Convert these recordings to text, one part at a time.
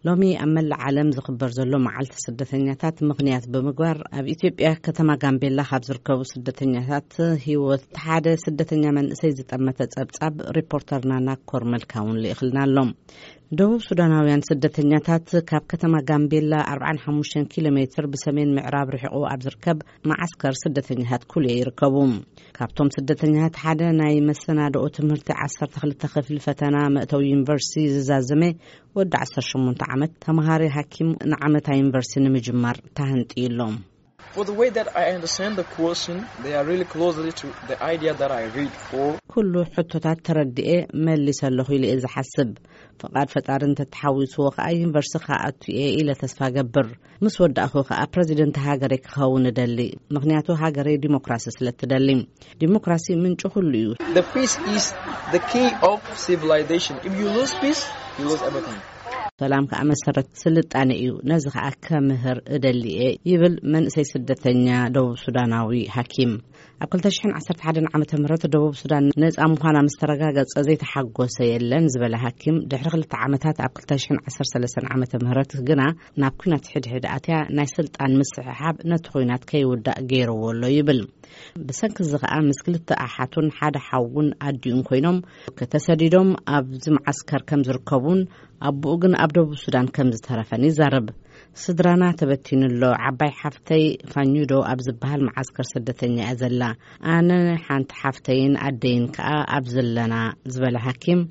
ሎሚ ኣብ መላእ ዓለም ዝኽበር ዘሎ መዓልቲ ስደተኛታት ምኽንያት ብምግባር፣ ኣብ ኢትዮጵያ ከተማ ጋምቤላ ካብ ዝርከቡ ስደተኛታት ህይወት ሓደ ስደተኛ መንእሰይ ዝጠመተ ጸብጻብ ሪፖርተርና ናኮር መልካ እውን ልኢኽልና ኣሎ። ደቡብ ሱዳናውያን ስደተኛታት ካብ ከተማ ጋምቤላ ኣርባዓን ሓሙሽተን ኪሎ ሜትር ብሰሜን ምዕራብ ርሒቑ ኣብ ዝርከብ መዓስከር ስደተኛታት ኩልየ ይርከቡ። ካብቶም ስደተኛታት ሓደ ናይ መሰናድኦ ትምህርቲ ዓሰርተ ክልተ ክፍሊ ፈተና መእተዊ ዩኒቨርሲቲ ዝዛዘመ ወዲ ዓሰርተ ሸሞንተ ዓመት ተምሃሪ ሓኪም ንዓመታ ዩኒቨርሲቲ ንምጅማር ተሃንጥዩ ኣሎ። For the way that I understand the question, they are really closely to the idea that I read for. ኩሉ ሕቶታት ተረድኤ መሊሰ ኣለኹ ኢለ እየ ዝሓስብ። ፍቓድ ፈጣሪ እንተተሓዊስዎ ከኣ ዩኒቨርሲቲ ክኣቱ እየ ኢለ ተስፋ ገብር። ምስ ወዳእኹ ከኣ ፕረዚደንት ሃገረይ ክኸውን እደሊ። ምኽንያቱ ሃገረይ ዲሞክራሲ ስለ እትደሊ። ዲሞክራሲ ምንጪ ኩሉ እዩ። The peace is the key of civilization. If you lose peace, you lose everything. ሰላም ከኣ መሰረት ስልጣነ እዩ። ነዚ ከኣ ከምህር እደሊ እየ ይብል መንእሰይ ስደተኛ ደቡብ ሱዳናዊ ሓኪም። ኣብ ክልተ ሽሕን ዓሰርተ ሓደን ዓመተ ምህረት ደቡብ ሱዳን ነጻ ምዃና ምስ ተረጋገጸ ዘይተሓጎሰ የለን ዝበለ ሓኪም፣ ድሕሪ ክልተ ዓመታት ኣብ ክልተ ሽሕን ዓሰርተ ሰለስተን ዓመተ ምህረት ግና ናብ ኲናት ሕድሕድ ኣትያ ናይ ስልጣን ምስሕሓብ ነቲ ኲናት ከይውዳእ ገይርዎ ኣሎ ይብል። ብሰንኪ እዚ ከኣ ምስ ክልተ ኣሓቱን ሓደ ሓውን ኣዲኡን ኮይኖም ከተሰዲዶም ኣብዚ መዓስከር ከም ዝርከቡን ኣቦኡ ግን ኣብ ደቡብ ሱዳን ከም ዝተረፈን ይዛረብ። ስድራና ተበቲኑ ኣሎ። ዓባይ ሓፍተይ ፋኙዶ ኣብ ዝበሃል መዓስከር ስደተኛ እያ ዘላ። ኣነ፣ ሓንቲ ሓፍተይን ኣደይን ከኣ ኣብ ዘለና ዝበለ ሓኪም፣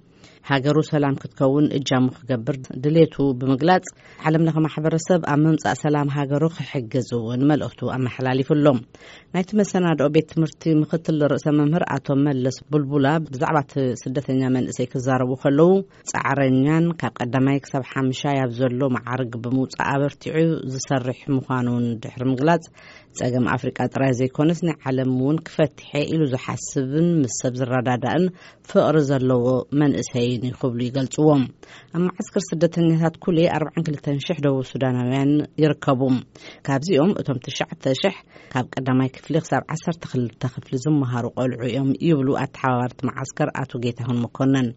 ሃገሩ ሰላም ክትከውን እጃሙ ክገብር ድሌቱ ብምግላጽ፣ ዓለም ለኸ ማሕበረሰብ ኣብ ምምጻእ ሰላም ሃገሩ ክሕግዝ እውን መልእኽቱ ኣመሓላሊፉ ኣሎ። ናይቲ መሰናድኦ ቤት ትምህርቲ ምኽትል ርእሰ መምህር ኣቶ መለስ ቡልቡላ ብዛዕባ እቲ ስደተኛ መንእሰይ ክዛረቡ ከለዉ፣ ጻዕረኛን ካብ ቀዳማይ ክሳብ ሓምሻይ ኣብ ዘሎ መዓርግ ብምውጻእ ኣበርቲዑ ዝሰርሕ ምዃኑ እውን ድሕሪ ምግላጽ፣ ጸገም ኣፍሪቃ ጥራይ ዘይኮነስ ናይ ዓለም እውን ክፈትሐ ኢሉ ዝሓስብን ምስ ሰብ ዝረዳዳእን ፍቕሪ ዘለዎ መንእሰይን እዩ ክብሉ ይገልጽዎም። ኣብ መዓስከር ስደተኛታት ኩሌ ኣርባዓን ክልተን ሽሕ ደቡብ ሱዳናውያን ይርከቡ። ካብዚኦም እቶም ትሽዓተ ሽሕ ካብ ቀዳማይ ክፍሊ ክሳብ ዓሰርተ ክልተ ክፍሊ ዝመሃሩ ቆልዑ እዮም ይብሉ ኣተሓባባርቲ መዓስከር ኣቶ ጌታሁን መኮነን።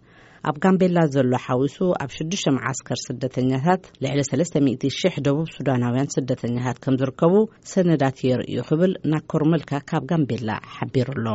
ኣብ ጋምቤላ ዘሎ ሓዊሱ ኣብ ሽዱሽተ መዓስከር ስደተኛታት ልዕሊ ሰለስተ ሚእቲ ሽሕ ደቡብ ሱዳናውያን ስደተኛታት ከም ዝርከቡ ሰነዳት የርእዩ ክብል ናኮር መልካ ካብ ጋምቤላ ሓቢሩ ኣሎ።